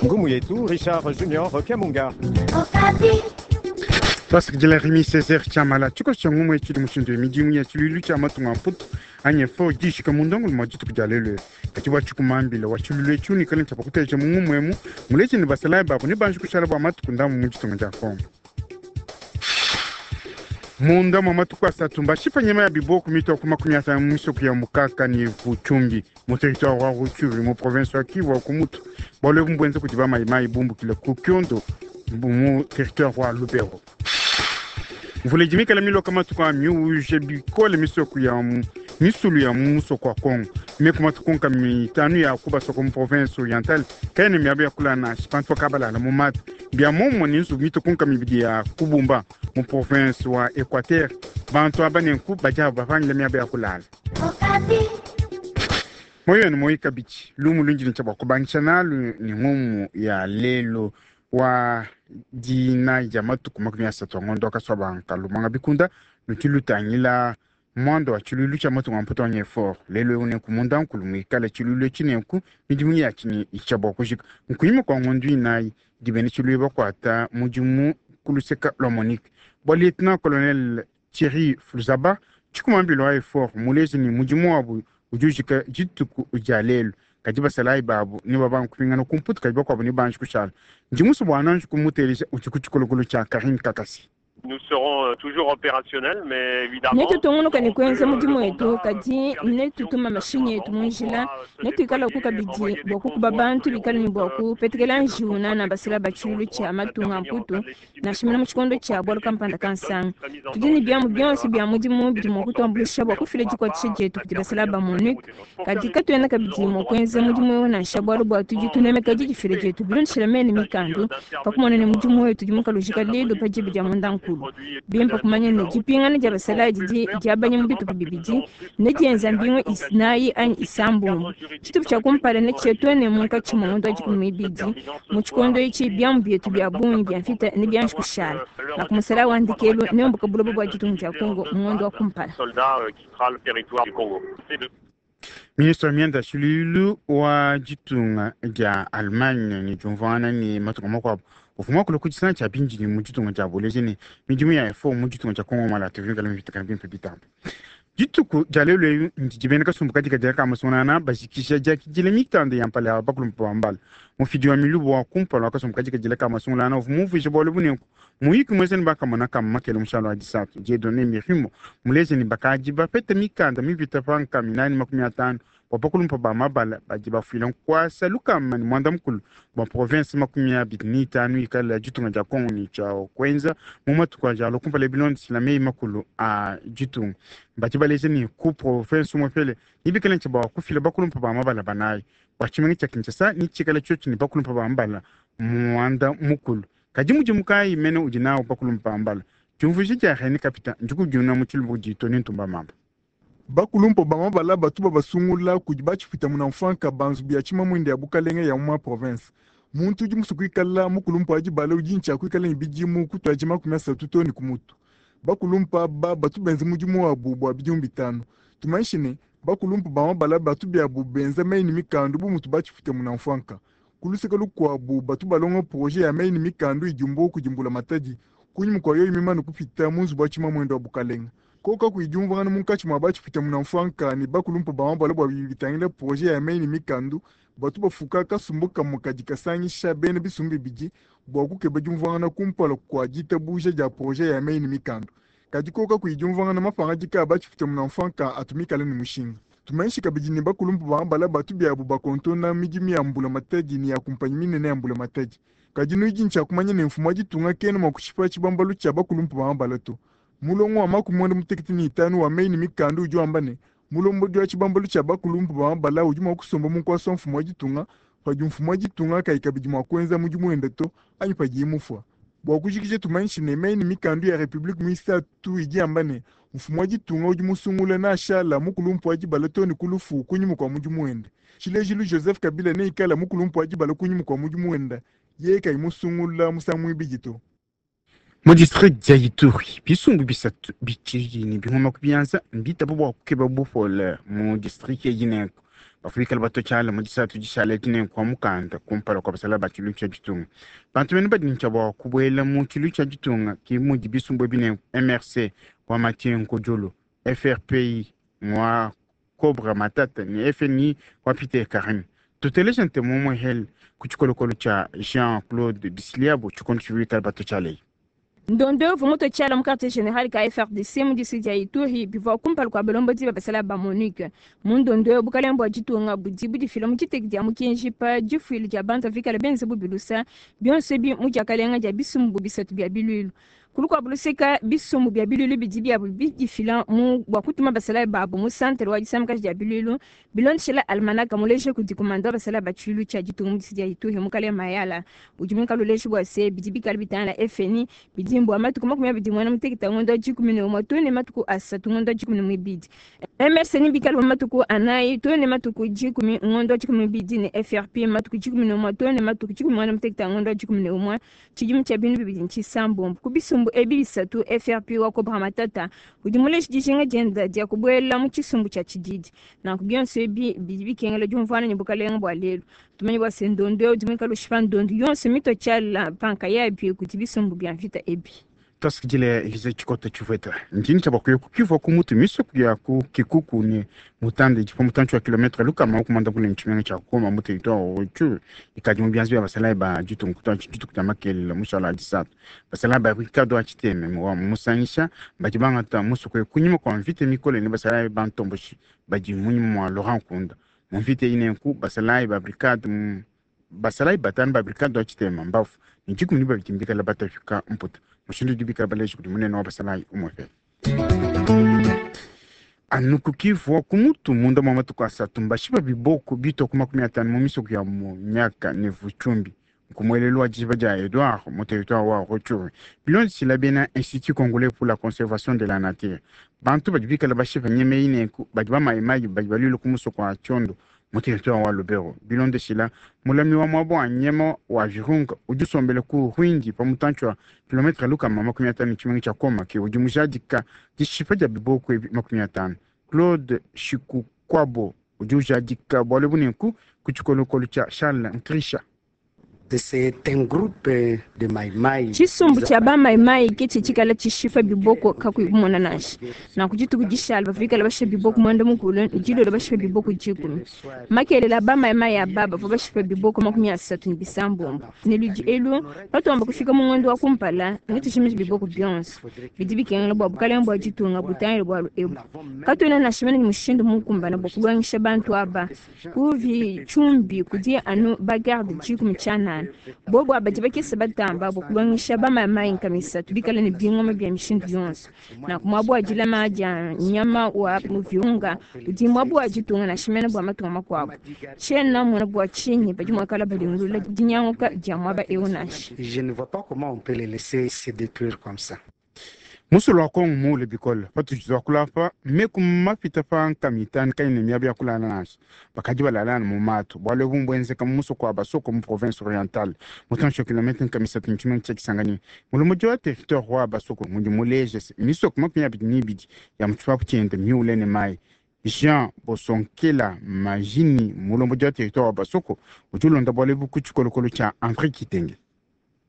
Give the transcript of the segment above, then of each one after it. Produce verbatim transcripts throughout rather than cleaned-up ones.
Ngumu yetu Richard Junior Kamunga. Twasakidila Rimi Césaire Tshiamala tshikoso tshia ngumu etshi tshidi mushindu midimu ya tshiluilu tshia matunga a Mputu anyi efo dishika mundongolo mwa dituku dia lelu kadi bua tshikumambila wa tshiluilu etshi unikale ntshia pakuteja mu ngumu emu muleji ne basalayi babo ne banji kushala bua matuku ndambu mu ditunga dia Kongo. Munda mwa matuku asatu mbashipa nyama ya biboko mitua ku makumi atanu mu misoko ya Mukaka ne Vuchumbi mu territoire wa Rutshuru mu province wa Kivu wa Kumutu bualu ebu mbuenza kudi bamayimayi bumbukile ku Kyondo mu territoire wa Lubero. Mvula idi mikale miloka matuku a miuje bikole misoko ya mu misulu ya mu musoko wa Kongo meku matuku nkama mitanu ya kubasoko mu province orientale kayena miaba ya kulala nansha pantu bakabalala mu mata bia momumue ne nzubu mituku nkama ibidi ya kubumba mu province wa Equateur bantu aba nenku badi aba bapangila miaba ya kulala. Moyo ne moyo kabidi lumu lundi ne tshia bua kubangisha nalu ne ngumu ya lelu wa dinayi dia matuku makumi asatu a ngondo wa Kasuabanka lumanga bikunda ludi lutangila muanda wa tshiluilu tshia matunga a Mputu anyi effort lelu eu nenku munda nkulu muikale tshiluilu etshi nenku midimu yatshi ne itshia bua kujika nkunyima kua ngondo inayi idi bena tshiluilu bakuata mudimu ku luseka lua Monique bua lieutenant colonel Thierry Fluzaba tshikumambilo wa effort muleji ne mudimu wabu udi ujika dituku dia lelu kadi basalayi babu ne babanga kupingana ku Mputu kadi bakuabu ne banji kushala ndi musue bua nanji kumuteleja udi ku tshikolokolo tshia Karine Kakasi. Nous serons toujours opérationnels, mais évidemment. Netutungunuka ne kuenza mudimu wetu kadi netutuma mashinyi etu mu njila netuikalaku kabidi bua kukuba bantu bikale ne bua kupetekela njiwu na basela ba tshiluilu tshia matunga a Mputu nansha mene mu tshikondo tshia bualu kampanda kansanga. Tudi ne biamu bionso bia mudimu bidi mua kutuambuluisha bua kufila dikuatshisha dietu kudi basela ba MONUC kadi katuena kabidi mua kuenza mudimu eu nansha bualu bua tudi tunemeka didifila dietu bilondeshile mene mikandu pa kumona ne mudimu wetu udi mukalujika lelu pa diba dia munda nkulu. Bimpe kumanya ne dipingana dia basalayi didi diabanya mu bitupa bibidi ne dienza mbingu isinayi anyi isambombo. Tshitupa tshia kumpala ne tshietwene munkatshi mua ngondo wa dikumi n'ibidi. Mu tshikondo etshi biamu bietu bia bungi bia mvita ne bianji kushala. Naku musalayi wa ndekelu neumbuka buloba bua ditunga dia Kongo mu ngondo wa kumpala. Ministre wa mianda ya tshiluilu wa ditunga dia Allemagne ne diumvuangana ne matunga makuabu uvua muakule ku disanga tshia bindidi mu ditunga dia buleji ne midimu ya effort mu ditunga dia Kongo Malata bikale mipitakana bimpe bitambe. Dituku dia lelu eyu ndidi bena kasumbu kadikadila ka masunana bajikisha diakidila mikanda ya mpala ya bakulumpa ba mbala mufidi wa milubu wa kumpala wa kasumbu kadikadila ka masunana uvua mumvuije bualu bunenku muyiki muenza ne bakamona kama makele mushalo wa disatu Dieudonné Mirimo muleje ne bakadi bapete mikanda mipita pa nkama inayi ne makumi atanu bua bakulumpa ba mabala badi bafuila nkuasa lukama ne muanda mukulu bua province makumi abidi ne itanu ikala ya ditunga dia Kongo ne tshia kuenza mu matuku adi alua kumpala bilondeshila meyi makulu a ditunga badi baleja ne ku province umue pele nebikale ntshia bua kufila bakulumpa ba mabala banayi bua tshimenga tshia Kinshasa ne tshikala tshiotshi ne bakulumpa ba mabala muanda mukulu kadi mudimu kayi mene udi nawu bakulumpa ba mabala diumvuija dia René Kapita ndikudiuna mu tshiluba kudi Tony Ntumba Mamba. Bakulumpa ba mabala batu babasungula kudi batshipita muna mfanka banzubu ya tshimamwende ya bukalenge ya mu province. Muntu udi musue kuikala mukulumpa wa dibala udi ntshia kuikala ne bidimu kutuadi makumi asatu too ne ku mutu. Bakulumpa aba batu benza mudimu wabu bua bidimu bitanu. Tumanyishe ne bakulumpa ba mabala batu biabu benza meyi ne mikandu bu mutu batshipita muna mfanka. Ku luseke lukuabu batu balonga projet ya meyi ne mikandu idimbu kudimbula matadi kunyima kua yoyi mimane kupita mu nzubu wa tshimamwende wa bukalenge. Koka kuidiumvangana munkatshi mua batshipita muna mfanka ne bakulumpa ba mabala bua bitangila projet ya meyi ne mikandu batu bafuka kasumbu kamue kadi kasangisha bena bisumbu bibidi bua kukeba diumvuangana kumpala kua ditabuja dia projet ya meyi ne mikandu. Kadi koka kuidiumvangana mapangadika a batshipita muna mfanka atu mikale ne mushinga. Tumanyishe kabidi ne bakulumpa ba mabala batu biabu bakontona midimu ya mbula matadi ne ya kumpanyi minene ya mbula matadi. Kadi nudi ntshia kumanya ne mfumu wa ditunga kena mua kushipa tshibambalu tshia bakulumpa ba mabala to. Mulongo wa makumi muanda mutekete ne itanu wa meyi ne mikandu udi wamba ne mulombodi wa tshibambalu tshia bakulumpa ba mabala udi mua kusomba mu nkuasa wa mfumu wa ditunga padi mfumu wa ditunga kayi kabidi mua kuenza mudimu wende to anyi padiye mufua. Bua kujikija tumanyishe ne meyi ne mikandu ya Republique muisatu idi yamba ne mfumu wa ditunga udi musungula nashala mukulumpa wa dibala too ne ku lufu kunyima kua mudimu wende. Tshilejilu Joseph Kabila neikala mukulumpa wa dibala kunyima kua mudimu wende yeye kayi musungula musangu muibidi to. Mu district dia Ituri bisumbu bisatu bitshidi ne bingoma ku bianza mbitaba bua kukeba bupole mu district eyi nenku Bafika bato tshala mu disatu dishale tine kwa mukanda kumpala kwa basala ba tshilu tsha ditunga. Bantu bene badi ntshia kubuela mu tshilu tsha ditunga ki mudi bisumbu bine M R C wa Mathieu Nkodjolo, F R P I mwa Cobra Matata ni F N I wa Peter Karim. Tuteleje ntemo mo hel ku tshikolokolo tsha Jean-Claude Bisliabo tshikontshiwika bato tshalei. Ndondo vumoto tshala mu quartier général ka F R D C mu district ya Ituri bivua kumpala kua balombodi ba basala ba Monique. Mu ndondo bukalenga bua ditunga budi budifila mu diteki dia mukenji pa difuila dia bantu avikala benze bubilusa bionso ebi mu diakalenga dia bisumbu bisatu bia biluilu. Kulu buluseka bisumbu bia biluilu bidi biabu bidifila mu bua kutuma basala babu mu centre wa disamakaji dia biluilu bilondeshela almanaka muleje kudi komanda basala ba tshiluilu tshia ditunga mu district ya Ituri mukale Mayala udi muikale uleje bua se bidi bikale bitangila F N I bidi mbua matuku makumi abidi muanda mutekete ngondo dikumi ne umue too ne matuku asatu ngondo dikumi ne muibidi. M R C ni bikale mu matuku anayi too ne matuku dikumi ngondo dikumi muibidi ne F R P matuku dikumi ne umue too ne matuku dikumi muanda mutekete ngondo dikumi ne umue tshidimu tshia binu bibidi ntshisambombo ku bisumbu ebi bisatu F R P wa Cobra Matata udi muleje dijinga dienda dia kubuela mu tshisumbu tshia tshididi. Nanku bionso ebi bidi bikengela diumvuana ne bukalenga bua lelu. Tumanyi bua se ndondo udi muikale ushipa ndondo yonso mito tshiala panka yabi kudi bisumbu bia mvita ebi. Tasikidile Elise Tshikota Tshivweta. Ndini tshia bakuye kukiva ku mutu misoku ya ku Kikuku ne mutande dipo mutantshi wa kilometre lukama okumanda kule ntshimenga tshia Goma mu territoire wa Rutshuru ikadi mu bianza bia basalayi ba ditunga kutua dituku dia makelela mushala wa disatu. Basalayi ba Ricardo wa Tshiteme wa musangisha badi bangata musoku kunyima kwa mvita mikole ne basalayi ba ntomboshi badi munyima mwa Laurent Nkunda. Mu mvita inenku basalayi ba brigade basalayi batanu ba brigade wa Tshiteme mbafu ne dikumi ne babidi mbikala batafika mputa. Mushindu udi bikala baleje kudi munene wa basalayi umwepe. Anukukivu ku mutu munda mwa matuku asatu mbashipa biboko bitwa ku makumi atanu mu misoko ya Munyaka ne Vuchumbi nkumwelelo wa dijiba dia Edouard mu territoire wa Rutshuru. Bilondeshila bena Institut Congolais pour la Conservation de la Nature. Bantu badi bikala bashipa nyama inenku badi bamayimayi badi balwile ku musoko wa Tshiondo mu territoire wa Lubero. Bilondeshila mulami wa mwabo wa nyama wa Virunga udi usombele ku Rwindi pa mutantshi wa kilometre lukama makumi atanu tshimenga tshia Goma ke udi mujadika dishipa dia biboko ebi makumi atanu. Claude Shikukwabo udi ujadika bualu bunenku ku tshikolokolo tshia Charles Nkrisha. C'est un groupe de maimai. Tshisumbu tshia ba maimai ke tshikala tshishifa biboko kakuyi kumona nansha. Nanku dituku dishala bafikala bashipa biboko mwanda mukulu dilolo bashipa biboko dikumi. Makelela ba maimai aba bavua bashipa biboko makumi asatu ne bisambombo. Ne ludi elu batuamba kufika mu ngondo wa kumpala ne tushimije biboko bionso. Bidi bikengela bua bukalenga bua ditunga butangile bualu ebu. Katuena nansha mene ne mushindu mukumbana bua kulongesha bantu aba. Kuvi tshumbi kudi anu bagarde dikumi tshianana. Bobo abadi bakese batamba bua kulongesha ba maimai nkamisa tubikala ne bingoma bia mishindu yonso. Na kumwabu wa dilama dia nyama wa muviunga udi mwabu wa ditunga na shimena bua matunga makuabu. Tshiena mona bua tshinyi badi muakala balingulula dinyanguka dia mwaba eu nansha. Je ne vois pas comment on peut les laisser se détruire comme ça. Musulu wa Kongo muule bikole patudi kulapa meku mapita pa nkamitanu kaine miaba ya kulala nansha bakadi balalana mu matu bualu ebu mbuenzeka mu musoko wa Basoko mu province orientale mutantshi wa kilometre nkamisatu ntshimenga tshia Kisangani. Mulomodi wa territoire wa Basoko mudi muleje se misoko makumi abidi ne ibidi ya mu tshipapu tshiende miule ne mayi. Jean Bosonkela Majini mulomodi wa territoire wa Basoko udi ulonda bualu ebu ku tshikolokolo tshia André Kitenge.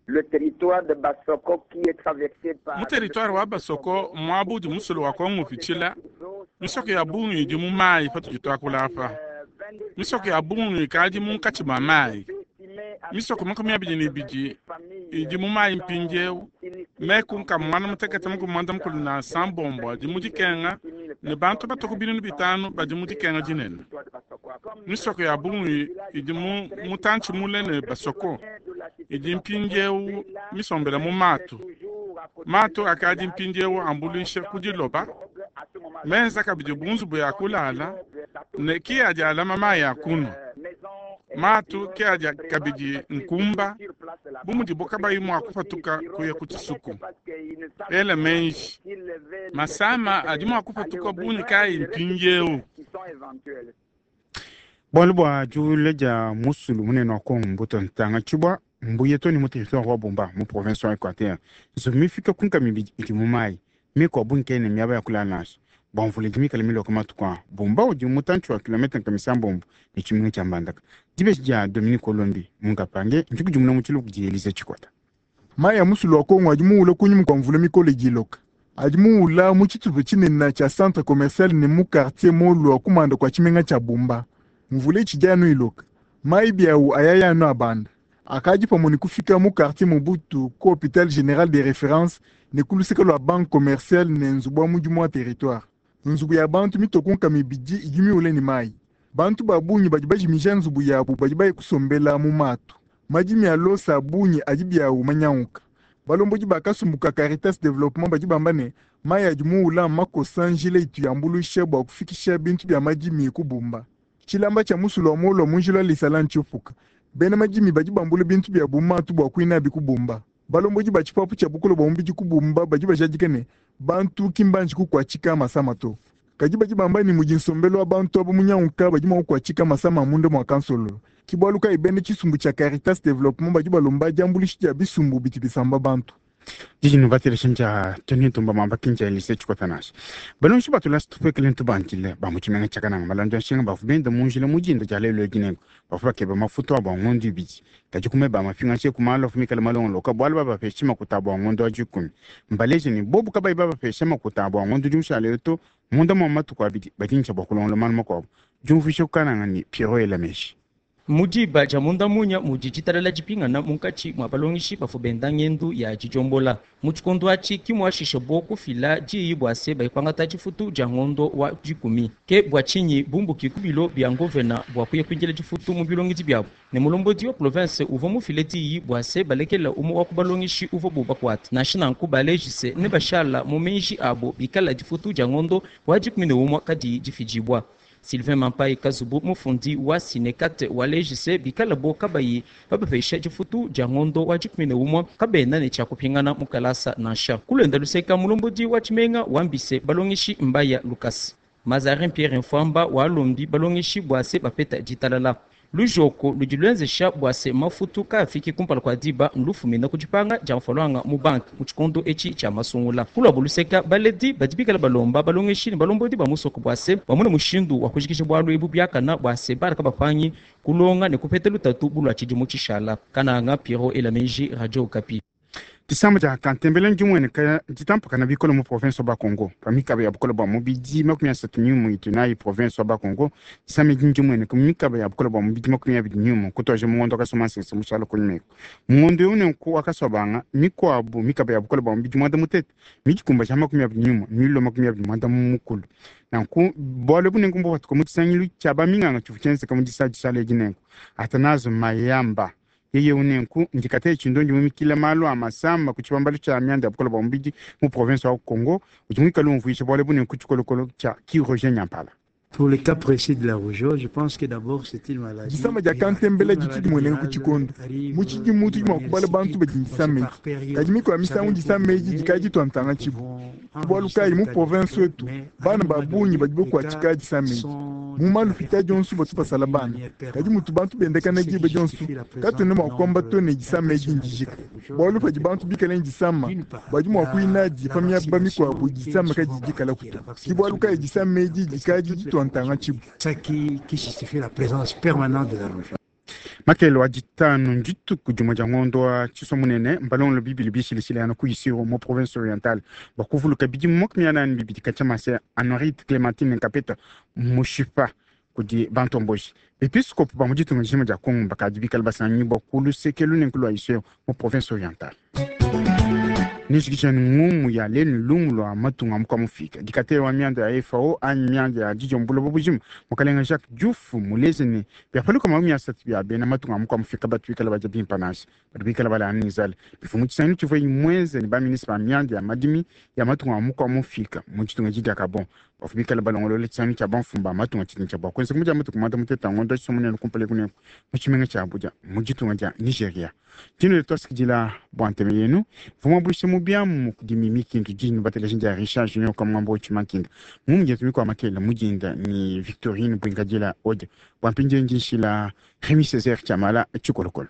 Le territoire de Basoko qui est traversé par mu territoire wa Basoko mwabu udi musulu wa Kongo upitshila misoko ya bungi idi mu mayi patudi tuakulapa. Misoko ya bungi ikadi munkatshi mua mayi. Misoko makumi abidi ne ibidi idi mu mayi mpindieu. Meku nkamwana mutekete mukumwanda mukulu na sambombo adi mu dikenga ne bantu batoku binunu bitanu badi mu dikenga dinene. Misoko ya bungi idi mu mutantshi mule ne Basoko idi mpindieu misombela mu matu. Matu akadi mpindieu ambuluisha ku diloba menza kabidi bunzubu ya kulala ne ki adi alama mayi ya kunwa. Matu ki adi kabidi nkumba bu mudibo kabayi mua kupatuka kuya ku tshisuku. Ela menji masama adi mua kupatuka bungi kayi mpindieu. Bualu bua diule dia musulu munene wa Kongo mbuto ntanga tshibua mbuye to ne mu territoire wa Bumba mu province wa Equateur. Nzubu mifike ku nkama ibidi idi mu mayi mikuabu nkene miaba ya kulala nansha. Bua mvula idi mikale miloke matuku aa, Bumba udi mutantshi wa kilomètre nkama isambombo ne tshimenga tshia Mbandaka. Dibeji dia Dominique Olombi Mungapange ndikudimuna mu tshiluba kudi Elise Tshikota. Mayi a musulu wa Kongo adi muwule kunyima kua mvula mikole idi iloka. Adi muwula mu tshitupa tshinene tshia centre commercial ne mu quartier Molwa kumanda kua tshimenga tshia Bumba. Mvula itshidi anu iloka. Mayi biawu ayaya anu abanda. Akadi pamue ne kufika mu quartier Mobutu ku hôpital général de référence ne ku luseke lua banque commerciale ne nzubu wa mudimu wa territoire. Nzubu ya bantu mitoke nkama ibidi idi miwule ne mayi. Bantu ba bungi badi bajimija nzubu yabu badi baye kusombela mu matu. Madimi a losa a bungi adi biawu manyanguka. Balombodi ba kasumbu ka Caritas Development badi bamba ne mayi adi muwula makosa njila itu yambuluisha bua kufikisha bintu bia madimi ku Bumba. Tshilamba tshia musulu wa Molwa mu njila wa Lisala ntshiupuka. Bena madimi badi bambula bintu bia matu bua kuinabi ku Bumba. Balombodi ba tshipapu tshia bukole bua mubidi ku Bumba badi bajadika ne bantu ki mbanji kukuatshika masama to. Kadi badi bamba ne mudi nsombelu wa bantu aba munyanguka badi mua kukuatshika masama a munda mua kansololo. Ke bualu kayi bena tshisumbu tshia Caritas Development badi balomba diambuluisha dia bisumbu bidi bisamba bantu. Dijino batelesha nja Tony Ntumba Mwamba kinja Elise Tshikota nansha. Balongeshi batula situpekele ntubandile ba mu tshimenga tshia Kananga balonda nshinga bavua benda mu njila mu dinda dia lelu edi nenku bavua bakeba mafuta abo a ngondo ibidi. Kadi kumeba mapingaje ku malu avua mikale malongoloka bualu babapeshe makuta abo a ngondo wa dikumi. Mbaleje ne bobu kabayi babapeshe makuta abo a ngondo udi mushale to munda mua matuku abidi badi ntsha bua kulongola malu makuabu. Diumvuisha ku Kananga ne Pierrot Elameshi. Mu diba dia munda munya mudi ditalala dipingana munkatshi mua balongeshi bavua benda ngendu ya didiombola. Mu tshikondo atshi ki muashisha bo kufila diyi bua se bayikwangata difutu dia ngondo wa dikumi. Ke bua tshinyi bumbuki ku bilo bia ngovena bua kuya kuindila difutu mu bilongedi biabu. Ne mulombodi wa province uvua mufile diyi bua se balekela umue wa ku balongeshi uvua bo bakuata. Nansha nanku balejise ne bashala mu meji abo bikala difutu dia ngondo wa dikumi ne umue kadiyi difidibua. Sylvain Mampai Kazubu mufundi wa Sinekate wa lejise bikala bo kabayi babapesha difutu dia ngondo wa dikumi ne umue kabena ne tshia kupingana mu kalasa nansha. Kulenda luseka mulombodi wa tshimenga wambise balongeshi Mbaya Lucas. Mazarin Pierre Mfwamba walombi balongeshi bua se bapeta ditalala. Lujoko ludi luenzesha bua se mafutu kaafiki kumpala kua diba nlufumina ku dipanga dia mfalwanga mu banque mu tshikondo etshi tshia masungula. Kulwabu luseka baledi badi bikala balomba balongeshi ne balombodi ba musoko bua se bamone mushindu wa kujikija bualu ebu biakana bua se bana kabapangi kulonga ne kupeta lutatu bulua tshidimu tshishala. Kananga Pierrot Elameji, Radio Okapi. Disamba dia Kantembele ndimueneka ditampakana bikole mu province wa Bakongo. Pa mikaba ya bukole bua mubidi makumi asatu n'umue itu nayi province wa Bakongo. Disamba edi ndimueneka mu mikaba ya bukole bua mubidi makumi abidi n'umue kutuaje mu ngondo wakasoma nsese mushala kunyima eku. Mu ngondo eu nenku wakasua mikuabu mikaba ya bukole bua mubidi muanda mutete midikumba makumi abidi n'umue milo makumi abidi muanda mukulu. Nanku bualu ebu nenku mbupatuka mu tshisangilu tshia baminganga tshivua tshienzeka mu disa dishala edi nenku. Athanase Mayamba yeye unenku ndikate tshindondi mumikila malu a masamba ku tshibambalu tshia mianda ya bukole bua mubidi mu province wa Congo udi muikale umvuisha bualu ebu nenku tshikolokolo tshia Kiroje Nyampala. Pour le cas précis de la rougeole, je pense que d'abord c'est une maladie. Disamba dia Kantembele ditshidi mueneka ku tshikondo. Mu tshidimu tudi mua kubala bantu badi disamba edi. Kadi mikuabu misangu disamba edi dikadi ditua ntanga tshibu. Bualu kayi mu province wetu bana ba bungi badi bakuatshika disamba edi. Mu malupita dionso batu basala bana. Kadi mutu bantu bendekana diba dionso katuena mua kuamba to ne disamba edi ndijika. Bualu padi bantu bikale ne disamba badi mua kuinadi pa miaba mikuabu disamba kadi dikala kuto. Ke bualu kayi disamba edi dikadi ditua ntanga tshibu. Ça qui, qui justifie la présence permanente de la rougeole. Makelo wa ditanu ndituku dimue dia ngondo wa tshisua munene mbalongolo bibili bishilishilana ku Isiro mu province orientale bakuvuluka bidimu makumi anani bibidi katshia mase Honorite Clementine Nkapeta mushipa kudi bantomboji. Bepiskopo ba mu ditunga dijima dia Kongo bakadi bikale basangibua ku luseke lunene lua Isiro mu province orientale. Nijikija ngumu ya lenu lumu lwa matunga muka mufika dikate wa mianda ya F A O anyi mianda ya dijombula bubujima mukalenga Jacques Diouf muleze ne byapaluka makumi asatu bya bena matunga muka mufika batu bikala baja bimpa nansha batu bikala bala nizale bifumu tshisangilu tshivua imweze ne baministre ba mianda ya madimi ya matunga muka mufika mu tshitunga tshidi Gabon bafu bikala balongolola tshisangilu tshia bamfumu ba matunga tshitunga tshia bua kuenza kumudia matuku muanda mutete ngondo tshisomunene kumpala kuneko mu tshimenga tshia Abuja mu ditunga dia Nigeria. Dino twasikidila bua nteme yenu vumwa bulisha mu byamu kudi mimi kintu dino bateleja dia Richard Junior kwa mwambo chimakinda mumu jetu kwa makela mujinda ni Victorine Bwingadila Odia bwa mpinje njishila Rémi Césaire Chamala chikolokolo.